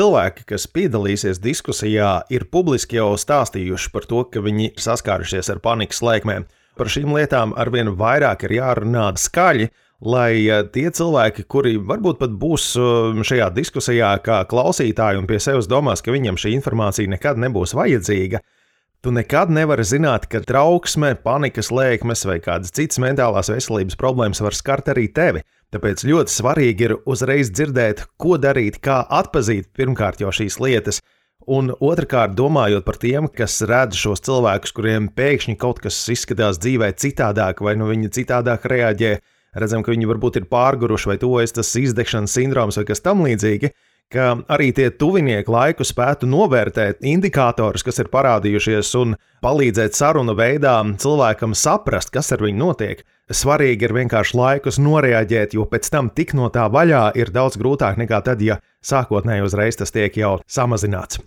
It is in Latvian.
cilvēki, kas piedalīsies diskusijā, ir publiski jau stāstījuši par to, ka viņi ir saskārušies ar panikas lēkmēm. Par šīm lietām arvien vairāk ir jārunā skaļi, lai tie cilvēki, kuri varbūt pat būs šajā diskusijā kā klausītāji un pie sevis domās, ka viņam šī informācija nekad nebūs vajadzīga, tu nekad nevari zināt, ka trauksme, panikas lēkmes vai kādas citas mentālās veselības problēmas var skart arī tevi. Tāpēc ļoti svarīgi ir uzreiz dzirdēt, ko darīt, kā atpazīt pirmkārt jau šīs lietas, un otrkārt domājot par tiem, kas redz šos cilvēkus, kuriem pēkšņi kaut kas izskatās dzīvē citādāk vai viņi citādāk reaģē. Redzam, ka viņi varbūt ir pārguruši vai tuvojas tas izdegšanas sindroms vai kas tam līdzīgi, ka arī tie tuvinieki laiku spētu novērtēt indikātorus, kas ir parādījušies un palīdzēt sarunu veidā cilvēkam saprast, kas ar viņu notiek. Svarīgi ir vienkārši laikus noreaģēt, jo pēc tam tik no tā vaļā ir daudz grūtāk nekā tad, ja sākotnēji uzreiz tas tiek jau samazināts.